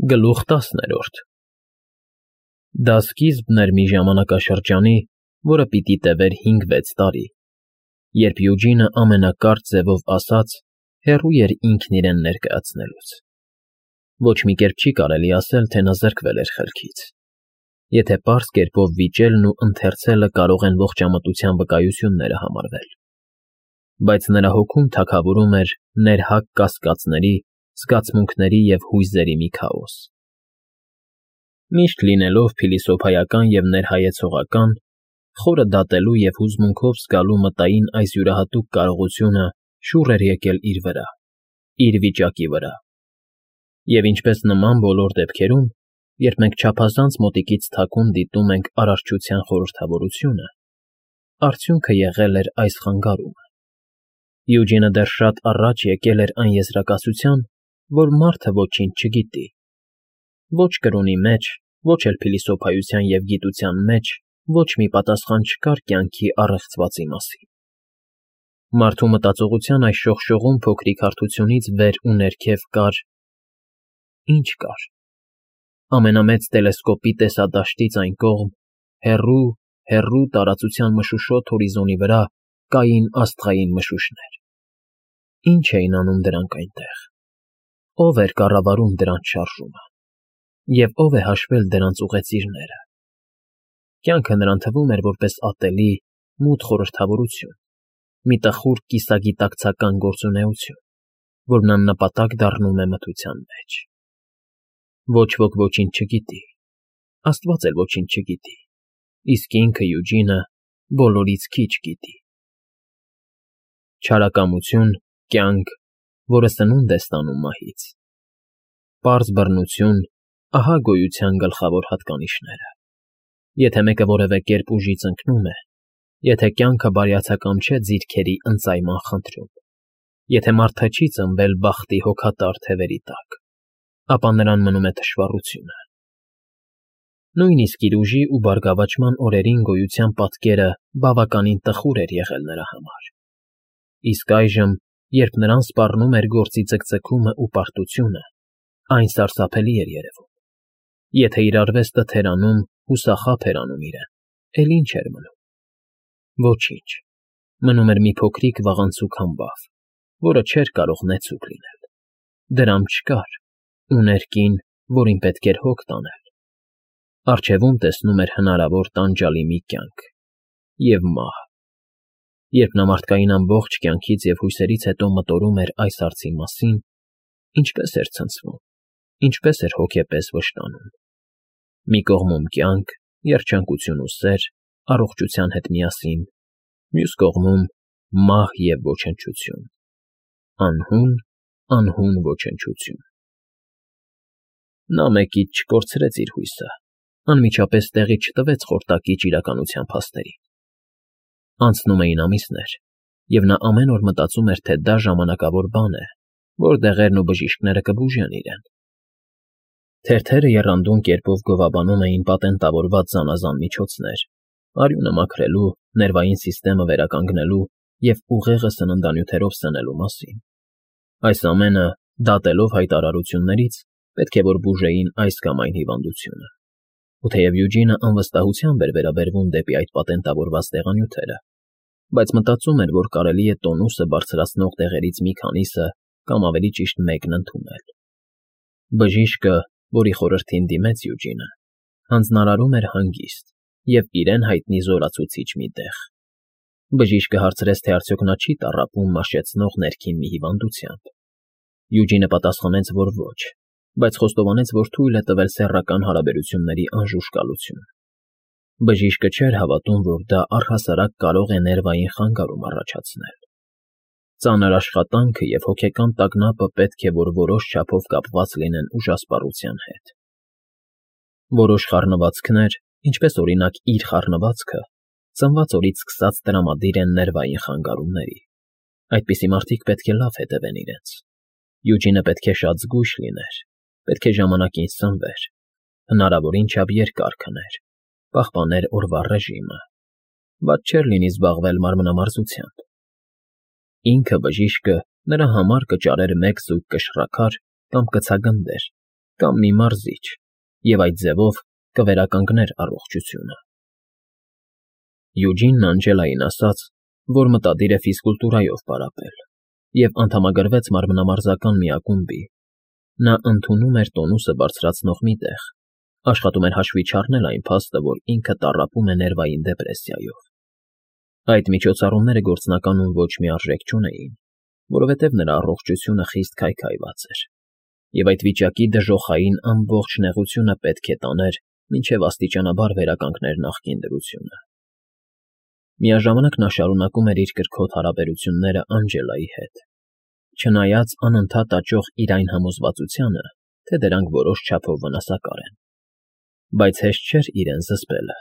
Գլուխ 10 Դա սկիզբն էր մի ժամանակաշրջանի, որը պիտի տևեր 5-6 տարի, երբ Յուջինը ամենակարճ ձևով ասած հեռու էր ինքն իրեն ներկայացնելուց. ոչ մի կերպ չի կարելի ասել, թե նա զրկվել էր խելքից, եթե պարզ կերպով վիճելն ու ընթերցելը կարող են ողջամտության վկայությունները համարվել, բայց նրա հոգում թագավորում էր ներհակ կասկածների, զգացմունքների և հույզերի մի քաոս. Միշտ լինելով փիլիսոփայական և ներհայեցողական, խորը դատելու և հուզմունքով զգալու մտային այս յուրահատուկ կարողությունը շուռ էր եկել իր վրա, իր վիճակի վրա, և ինչպես նման բոլոր դեպքերում, երբ մենք չափազանց մոտիկից թաքուն դիտում ենք Արարչության խորհրդավորությունը, արդյունքը եղել էր այս խանգարումը. Յուջինը դեռ շատ առաջ եկել էր այն եզրակացության, որ մարդը ոչինչ չգիտի, ոչ կրոնի մեջ, ոչ էլ փիլիսոփայության և գիտության մեջ ոչ մի պատասխան չկար կյանքի առեղծվածի մասին. Մարդու մտածողության այս շողշողուն փոքրիկ հարթությունից վեր ու ներքև կար… Ի՞նչ կար… Ամենամեծ տելեսկոպի տեսադաշտից այն կողմ, հեռու, հեռու տարածության մշուշոտ հորիզոնի վրա կային աստղային մշուշներ… Ի՞նչ էին անում դրանք այնտեղ… Ո՞վ էր կառավարում դրանց շարժումը… Եվ ո՞վ է հաշվել դրանց ուղեծիրները… Կյանքը նրան թվում էր որպես ատելի, մութ խորհրդավորություն, մի տխուր կիսագիտակցական գործունեություն, որն աննպատակ դառնում է մթության մեջ… Ոչ ոք ոչինչ չգիտի, աստված էլ ոչինչ չգիտի, իսկ ինքը՝ Յուջինը, բոլորից քիչ գիտի… Չարակամություն, կյանք, որը սնունդ է ստանում մահից… Պարզ բռնություն, ահա գոյության գլխավոր հատկանիշները… Եթե մեկը որևէ կերպ ուժից ընկնում է, եթե կյանքը բարյացակամ չէ ձիρքերի ընծայման խնդրում, եթե մարդը չի ծնվել բախտի հոգատար թևերի տակ, ապա նրան մնում է թշվառությունը… Նույնիսկ իր ուժի ու բարգավաճման օրերին գոյության պատկերը բավականին տխուր էր եղել նրա համար, իսկ այժմ, երբ նրան սպառնում էր գործի ձգձգումն ու պարտությունը, այն սարսափելի էր երևում… Եթե իր արվեստը թերանում, հուսախաբ էր անում իրեն, էլ ի՞նչ էր մնում… Ոչինչ… Մնում էր մի փոքրիկ վաղանցուկ համբավ, որը չէր կարող նեցուկ լինել… Դրամ չկար, ուներ կին, որին պետք էր հոգ տանել… Առջևում տեսնում էր հնարավոր տանջալի մի կյանք… և մահ… Երբ նա մարդկային ամբողջ կյանքից և հույսերից հետո մտորում էր այս հարցի մասին, ինչպե՜ս էր ցնցվում, ինչպե՜ս էր հոգեպես վշտանում… Մի կողմում կյանք, երջանկություն ու սեր, առողջության հետ միասին, մյուս կողմում մահ և ոչնչություն… Անհուն, անհուն ոչնչություն… Նա մեկից չկորցրեց իր հույսը, անմիջապես տեղի չտվեց խորտակիչ իրականության փաստերին… Անցնում էին ամիսներ, և նա ամեն օր մտածում էր, թե դա ժամանակավոր բան է, որ դեղերն ու բժիշկները կբուժեն իրեն… Թերթերը եռանդուն կերպով գովաբանում էին պատենտավորված զանազան միջոցներ՝ արյունը մաքրելու, ներվային սիստեմը վերականգնելու և ուղեղը սննդանյութերով սնելու մասին… Այս ամենը, դատելով հայտարարություններից, պետք է որ բուժեին այս կամ այն հիվանդությունը… Ու թեև Յուջինը անվստահությամբ էր վերաբերվում դեպի այդ պատենտավորված դեղանյութերը, բայց մտածում էր, որ կարելի է տոնուսը բարձրացնող դեղերից մի քանիսը կամ ավելի ճիշտ մեկն ընդունել… Բժիշկը, որի խորհրդին դիմեց Յուջինը, հանձնարարում էր հանգիստ և իրեն հայտնի զորացուցիչ մի դեղ… Բժիշկը հարցրեց, թե արդյոք նա չի տառապում մաշեցնող ներքին մի հիվանդությամբ… Յուջինը պատասխանեց, որ ոչ, բայց խոստովանեց, որ թույլ է տվել սեռական հարաբերությունների անժուշկալություն… Բժիշկը չէր հավատում, որ դա առհասարակ կարող է ներվային խանգարում առաջացնել… Ծանր աշխատանքը և հոգեկան տագնապը պետք է որ որոշ չափով կապված լինեն ուժասպառության հետ… Որոշ խառնվածքներ, ինչպես օրինակ իր խառնվածքը, ծնված օրից սկսած տրամադիր են ներվային խանգարումների… Այդպիսի մարդիկ պետք է լավ հետևեն իրենց… Յուջինը պետք է շատ զգույշ լիներ, պետք է ժամանակին սնվեր, հնարավորին չափ երկար քներ, պահպաներ օրվա ռեժիմը… Վատ չէր լինի զբաղվել մարմնամարզությամբ… Ինքը, բժիշկը, նրա համար կճարեր մեկ զույգ կշռաքար կամ կցագնդեր կամ մի մարզիչ, և այդ ձևով կվերականգներ առողջությունը։ Յուջինն Անջելային ասաց, որ մտադիր է ֆիզկուլտուրայով պարապել, և անդամագրվեց մարմնամարզական մի ակումբի։ Նա ընդունում էր տոնուսը բարձրացնող մի տեղ, աշխատում էր հաշվի չառնել այն փաստը, որ ինքը տառապում է ներվային դեպրեսիայով։ Այդ միջոցառումները գործնականում ոչ մի արժեք չունեին, որովհետև նրա առողջությունը խիստ քայքայված էր, և այդ վիճակի դժոխային ամբողջ նեղությունը պետք է տաներ, մինչև աստիճանաբար վերականգներ նախկին դրությունը։ Միաժամանակ նա շարունակում էր իր կրքոտ հարաբերությունները Անջելայի հետ, չնայած անընդհատ աճող իր այն համոզվածությանը, թե դրանք որոշ չափով վնասակար են։ Բայց հեշտ չէր իրեն զսպելը,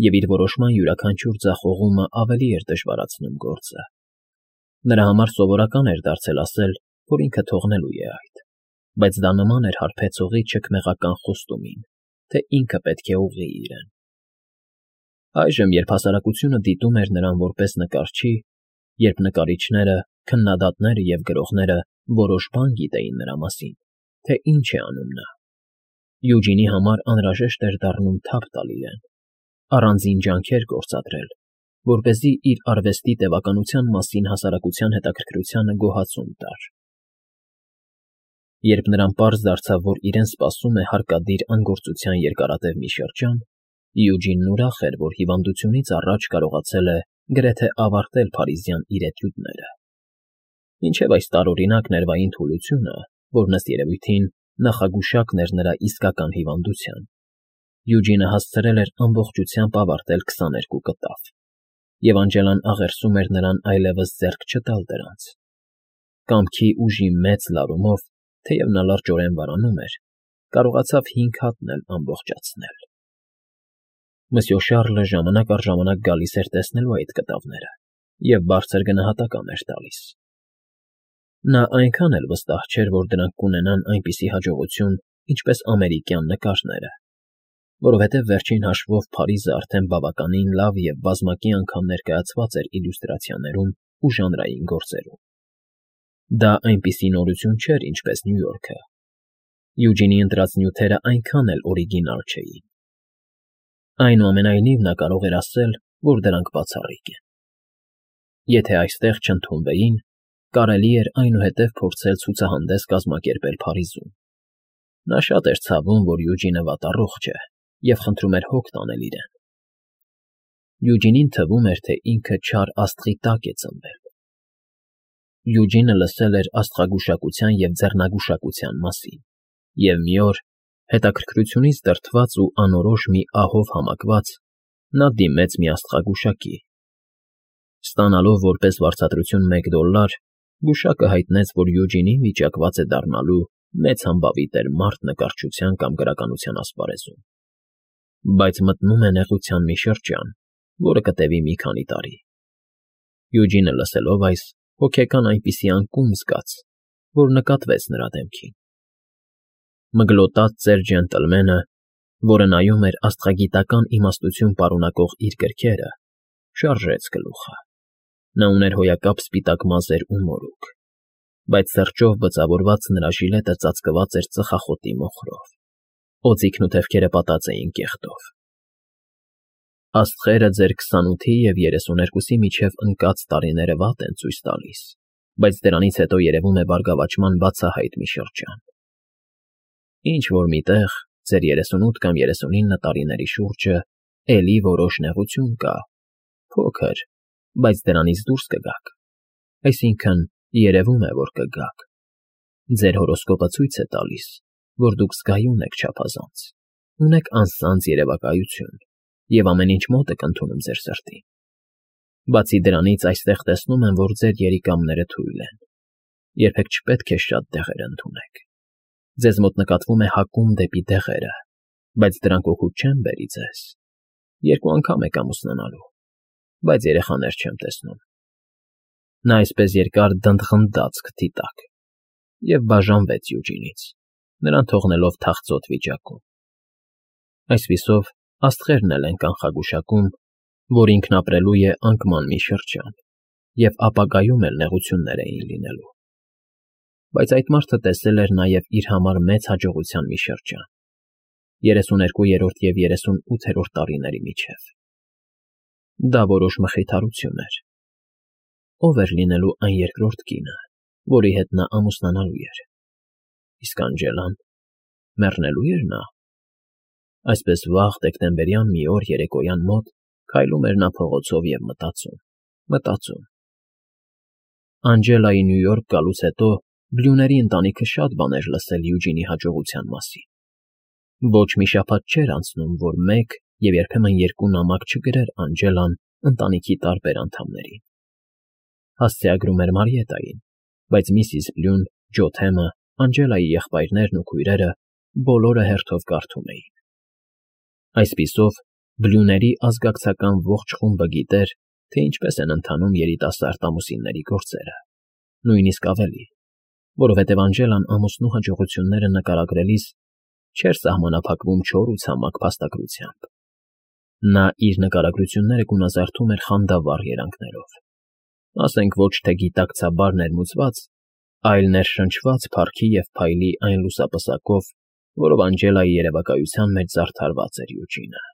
և իր որոշման յուրաքանչյուր ձախողումը ավելի էր դժվարացնում գործը։ Նրա համար սովորական էր դարձել ասել, որ ինքը թողնելու է այդ, բայց դա նման էր հարբեցողի չքմեղական խոստումին, թե ինքը պետք է ուղղի իրեն։ Այժմ, երբ հասարակությունը դիտում էր նրան որպես նկարչի, երբ նկարիչները, քննադատները և գրողները որոշ բան գիտեին նրա մասին, թե ինչ է անում նա, Յուջինի համար անհրաժեշտ էր դառնում թափ տալ իրեն, առանձին ջանքեր գործադրել, որպեսզի իր արվեստի տևականության մասին հասարակության հետաքրքրությանը գոհացում տար։ Երբ նրան պարզ դարձավ, որ իրեն սպասում է հարկադիր անգործության երկարատև մի շրջան, Յուջինն ուրախ էր, որ հիվանդությունից առաջ կարողացել է գրեթե ավարտել փարիզյան իր էտյուդները։ Մինչև այս տարօրինակ ներվային թուլությունը, որն ըստ երևույթին նախագուշակն էր նրա իսկական հիվանդության, Յուջինը հասցրել էր ամբողջությամբ ավարտել 22 կտավ, և Անջելան աղերսում էր նրան այլևս ձեռք չտալ դրանց։ Կամքի ուժի մեծ լարումով, թեև նա լրջորեն վարանում էր, կարողացավ 5 հատն էլ ամբողջացնել։ Մսյո Շառլը ժամանակ առ ժամանակ գալիս էր տեսնելու այդ կտավները և բարձր գնահատական էր տալիս։ Նա այնքան էլ վստահ չէր, որ դրանք կունենան այնպիսի հաջողություն, ինչպես ամերիկյան նկարները, որովհետև վերջին հաշվով Փարիզը արդեն բավականին լավ և բազմակի անգամ ներկայացված էր իլյուստրացիաներում ու ժանրային գործերում։ Դա այնպիսի նորություն չէր, ինչպես Նյու Յորքը։ Յուջինի ընտրած նյութերը այնքան էլ օրիգինալ չէին։ Այնուամենայնիվ նա կարող էր ասել, որ դրանք բացառիկ են։ Եթե այստեղ չընդունվեին, կարելի էր այնուհետև փորձել ցուցահանդես կազմակերպել Փարիզում։ Նա շատ էր ցավում, որ Յուջինը վատառողջ է, և խնդրում էր հոգ տանել իրեն։ Յուջինին թվում էր, թե ինքը չար աստղի տակ է ծնվել։ Յուջինը լսել էր աստղագուշակության և ձեռնագուշակության մասին, և մի օր, հետաքրքրությունից դրդված ու անորոշ մի ահով համակված, նա դիմեց մի աստղագուշակի։ Ստանալով որպես վարձատրություն $1, գուշակը հայտնեց, որ Յուջինին վիճակված է դառնալու մեծ համբավի տեր մարդ նկարչության կամ գրականության ասպարեզում, բայց մտնում է նեղության մի շրջան, որը կտևի մի քանի տարի։ Յուջինը լսելով այս, հոգեկան այնպիսի անկում զգաց, որ նկատվեց նրա դեմքին։ Մգլոտած ծեր ջենտլմենը, որը նայում էր աստղագիտական իմաստություն պարունակող իր գրքերը, շարժեց գլուխը։ Նա ուներ հոյակապ սպիտակ մազեր ու մորուք, բայց սրճով բծավորված նրա ժիլետը ծածկված էր ծխախոտի մոխրով, օձիքն ու թևքերը պատած էին կեղտով։ Աստղերը ձեր 28-ի և 32-ի միջև ընկած տարիները վատ են ցույց տալիս, բայց դրանից հետո երևում է բարգավաճման բացահայտ մի շրջան։ Ինչ-որ միտեղ, ձեր 38 կամ 39 տարիների շուրջը, էլի որոշ նեղություն կա, փոքր, բայց դրանից դուրս կգաք, այսինքն՝ երևում է, որ կգաք։ Ձեր հորոսկոպը ցույց է տալիս, որ դուք զգայուն եք չափազանց, ունեք անսանձ երևակայություն և ամեն ինչ մոտ եք ընդունում ձեր սրտին։ Բացի դրանից, այստեղ տեսնում եմ, որ ձեր երիկամները թույլ են, երբեք չպետք է շատ դեղեր ընդունեք։ Ձեզ մոտ նկատվում է հակում դեպի դեղերը, բայց դրանք օգուտ չեն բերի ձեզ։ 2 անգամ եք ամուսնանալու, բայց երեխաներ չեմ տեսնում։ Նա այսպես երկար դնդղնդաց քթի տակ և բաժանվեց Յուջինից, նրան թողնելով թախծոտ վիճակում։ Այսպիսով, աստղերն էլ են կանխագուշակում, որ ինքն ապրելու է անկման մի շրջան, և ապագայում էլ նեղություններ էին լինելու։ բայց այդ մարդը տեսել էր նաև իր համար մեծ հաջողության մի շրջան. 32-րդ և 38-րդ տարիների միջև։ Դա որոշ մխիթարություն էր։ Ով էր լինելու այն երկրորդ կինը, որի հետ նա ամուսնանալու էր։ Իսկ Անջելան, մեռնելո՞ւ էր նա։ Այսպես վաղ դեկտեմբերյան մի օր երեկոյան մոտ քայլում էր նա փողոցով և մտածում։ Անջելայի Նյու Յորք գալուց հետո Բլյուների ընտանիքը շատ բան էր լսել Յուջինի հաջողության մասին։ Ոչ մի շաբաթ չէր անցնում, որ մեկ և երբեմն երկու նամակ չգրեր Անջելան ընտանիքի տարբեր անդամներին։ Հասցեագրում էր Մարիետային, բայց միսիս Բլյուն, Ջո Թեմը, Անջելայի եղբայրներն ու քույրերը բոլորը հերթով կարդում էին։ Այսպիսով, Բլյուների ազգակցական ողջ խումբը գիտեր, թե ինչպես են ընթանում երիտասարդ ամուսինների գործերը, նույնիսկ ավելի, որովհետև Անջելան ամուսնու հաջողությունները նկարագրելիս չէր սահմանափակվում չոր ու ցամաք փաստագրությամբ։ Նա իր նկարագրությունները գունազարդում էր խանդավառ երանգներով, ասենք ոչ թե գիտակցաբար ներմուծված, այլ ներշնչված փառքի և փայլի այն լուսապսակով, որով Անջելայի երևակայության մեջ զարդարված էր Յուջինը։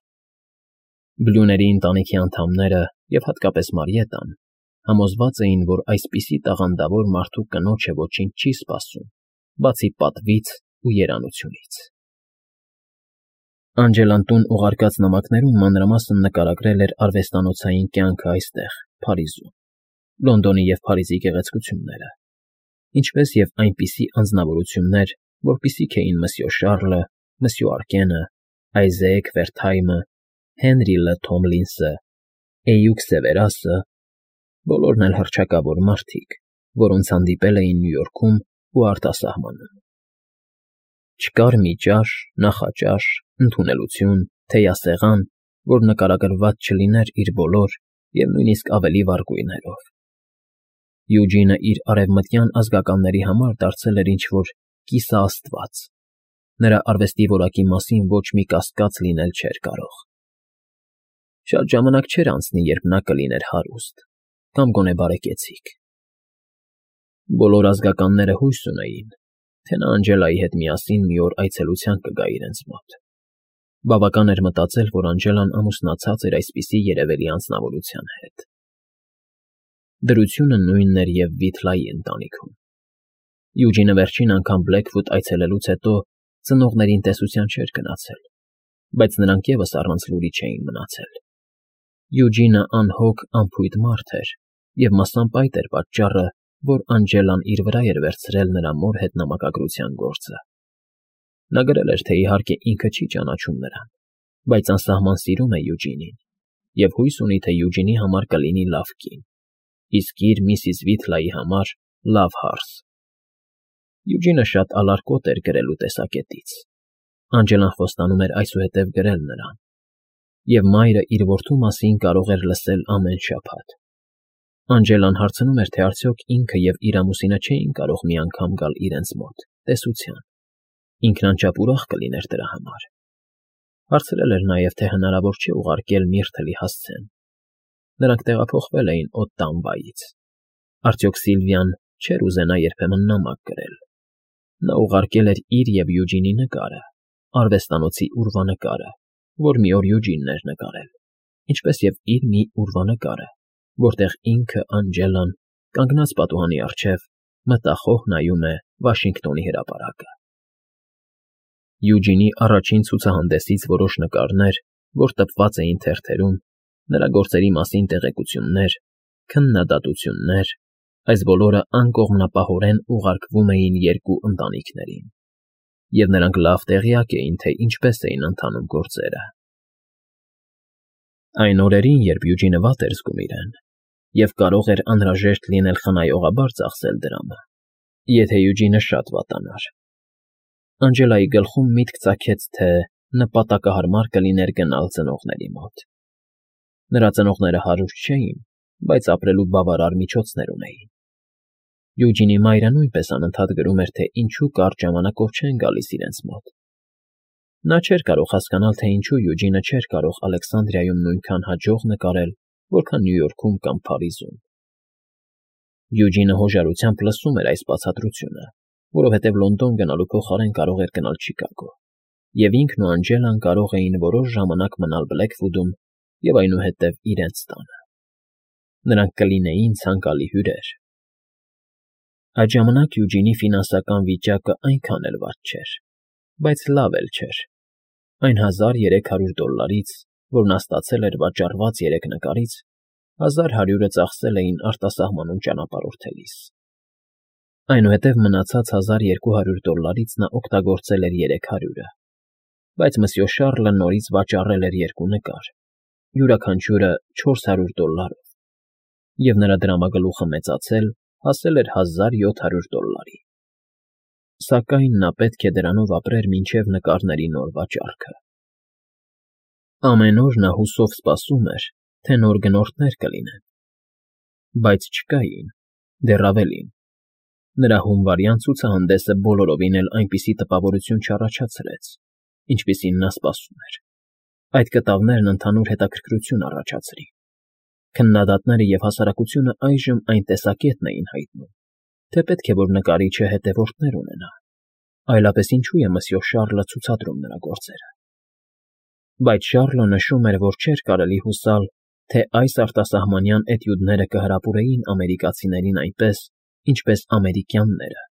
Բլյուների ընտանիքի անդամները և հատկապես Մարիետան համոզված էին, որ այսպիսի տաղանդավոր մարդու կնոջը ոչինչ չի սպասում, բացի պատվից ու երանությունից։ Անջելան տուն ուղարկած նամակներում մանրամասն նկարագրել էր արվեստանոցային կյանքը այստեղ, Փարիզում, Լոնդոնի և Փարիզի գեղեցկությունները, ինչպես և այնպիսի անձնավորություններ, որպիսիք էին Մսյո Շառլը, Մսյո Արկենը, Այզեկ Վերթայմը, Հենրի Լ. Թոմլինսը, Էյուք Սևերասը, բոլորն էլ հռչակավոր մարդիկ, որոնց հանդիպել էին Նյու Յորքում ու արտասահմանում։ Չկար մի ճաշ, նախաճաշ, ընդունելություն, թեյասեղան, որ նկարագրված չլիներ իր բոլոր և նույնիսկ ավելի վառ գույներով։ Յուջինը իր արևմտյան ազգականների համար դարձել էր ինչ-որ կիսաաստված։ Նրա արվեստի որակի մասին ոչ մի կասկած լինել չէր կարող։ Շատ ժամանակ չէր անցնի, երբ նա կլիներ հարուստ, կամ գոնե բարեկեցիկ։ Բոլոր ազգականները հույս ունեին, թե նա Անջելայի հետ միասին մի օր այցելության կգա իրենց մոտ։ Բավական էր մտածել, որ Անջելան ամուսնացած էր այսպիսի երևելի անձնավորության հետ։ Դրությունը նույնն էր և Վիթլայի ընտանիքում։ Յուջինը վերջին անգամ Բլեքվուդ այցելելուց հետո ծնողներին տեսության չէր գնացել, բայց նրանք ևս առանց լուրի չէին մնացել։ Յուջինը անհոգ, անփույթ մարդ էր, և մասամբ այդ էր պատճառը, որ Անջելան իր վրա էր վերցրել նրա մոր հետ նամակագրության գործը։ Նա գրել էր, թե իհարկե ինքը չի ճանաչում նրան, բայց անսահման սիրում է Յուջինին և հույս ունի, թե Յուջինի համար կլինի լավ կին, իսկ իր միսիս Վիթլայի համար լավ հարս։ Յուջինը շատ ալարկոտ էր գրելու տեսակետից։ Անջելան խոստանում էր այսուհետև գրել նրան, և մայրը իր որդու մասին կարող էր լսել ամեն շաբաթ։ Անջելան հարցնում էր, թե արդյոք ինքը և իր ամուսինը չէին կարող մի անգամ գալ իրենց մոտ, տեսության։ Ինքն անչափ ուրախ կլիներ դրա համար։ Հարցրել էր նաև, թե հնարավոր չէ ուղարկել Միրթլի հասցեն։ Նրանք տեղափոխվել էին Օտտամբայից։ Արդյոք Սիլվիան չէր ուզենա երբեմն նամակ գրել։ Նա ուղարկել էր իր և Յուջինի նկարը, արվեստանոցի ուրվանկարը, որ մի օր Յուջինն էր նկարել, ինչպես և իր մի ուրվանկարը, որտեղ ինքը Անջելան, կանգնած պատուհանի առջև, մտախոհ նայում է Վաշինգտոնի հրապարակը։ Յուջինի առաջին ցուցահանդեսից որոշ նկարներ, որ տպված էին թերթերում, նրա գործերի մասին տեղեկություններ, քննադատություններ, այս բոլորը անկողմնապահորեն ուղարկվում էին երկու ընտանիքներին, և նրանք լավ տեղյակ էին, թե ինչպես էին ընթանում գործերը։ Այն օրերին, երբ Յուջինը վատ էր զգում իրեն, և կարող էր անհրաժեշտ լինել խնայողաբար ծախսել դրամը, եթե Յուջինը շատ վատանար, Անջելայի գլխում միտք ծագեց, թե նպատակահարմար կլիներ գնալ ծնողների մոտ։ Նրա ծնողները հարուստ չէին, բայց ապրելու բավարար միջոցներ ունեին։ Յուջինի մայրը նույնպես անընդհատ գրում էր, թե ինչու կարճ ժամանակով չեն գալիս իրենց մոտ։ Նա չէր կարող հասկանալ, թե ինչու Յուջինը չէր կարող Ալեքսանդրիայում նույնքան հաջող նկարել, որքան Նյու Յորքում կամ Փարիզում։ Յուջինը հոժարությամբ լսում էր այս բացատրությունը, որովհետև Լոնդոն գնալու փոխարեն կարող էր գնալ Չիկագո, և ինքն ու Անջելան կարող էին որոշ ժամանակ մնալ Բլեքվուդում և այնուհետև իրենց տանը։ Նրանք կլինեին ցանկալի հյուրեր։ Այդ ժամանակ Յուջինի ֆինանսական վիճակը այնքան էլ վատ չէր, բայց լավ էլ չէր։ Այն $1300, որ նա ստացել էր վաճառված 3 նկարից, 1100-ը ծախսել էին արտասահմանում ճանապարհորդելիս։ Այնուհետև մնացած $1200-ից նա օգտագործել էր 300-ը, բայց Մսյո Շառլը նորից վաճառել էր 2 նկար, յուրաքանչյուրը $400, և նրա դրամագլուխը մեծացել հասել էր $1700։ Սակայն նա պետք է դրանով ապրեր մինչև նկարների նոր վաճառքը։ Ամեն օր նա հուսով սպասում էր, թե նոր գնորդներ կլինեն, բայց չկային, դեռ ավելին։ Նրա հունվարյան ցուցահանդեսը բոլորովին էլ այնպիսի տպավորություն չառաջացրեց, ինչպիսին նա սպասում էր։ Այդ կտավներն ընդհանուր հետաքրքրություն առաջացրին։ Քննադատները և հասարակությունը այժմ այն տեսակետն էին հայտնում, թե պետք է որ նկարիչը հետևորդներ ունենա, այլապես ինչու է Մսյո Շառլը ցուցադրում նրա գործերը։ Բայց Շառլը նշում էր, որ չէր կարելի հուսալ, թե այս արտասահմանյան էտյուդները կհրապուրեին ամերիկացիներին այնպես, ինչպես ամերիկյանները։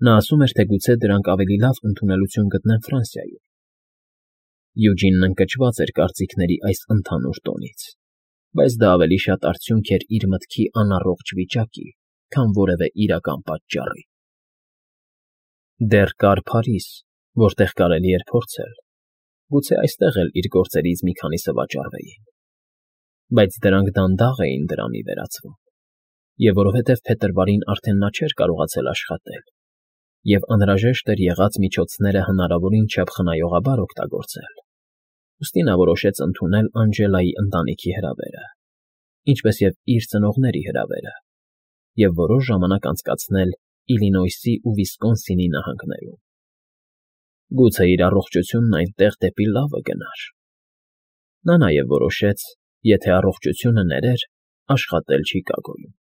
Նա ասում էր, թե գուցե դրանք ավելի լավ ընդունելություն գտնեն Ֆրանսիայում։ Յուջինն ընկճված էր կարծիքների այս ընդհանուր տոնից, բայց դա ավելի շատ արդյունք էր իր մտքի անառողջ վիճակի, քան որևէ իրական պատճառի։ Դեռ կար Փարիզ, որտեղ կարելի էր փորձել, գուցե այստեղ էլ իր գործերից մի քանիսը վաճառվեին։ Բայց դրանք դանդաղ էին դրամի վերածվում, և որովհետև փետրվարին արդեն նա չէր կարողացել աշխատել, և անհրաժեշտ էր եղած միջոցները հնարավորին չափ խնայողաբար օգտագործել, ուստի նա որոշեց ընդունել Անջելայի ընտանիքի հրավերը, ինչպես և իր ծնողների հրավերը, և որոշ ժամանակ անցկացնել Իլինոյսի ու Վիսկոնսինի նահանգներում։ Գուցե իր առողջությունն այնտեղ դեպի լավը գնար։ Նա նաև որոշեց, եթե առողջությունը ներեր, աշխատել Չիկագոյում։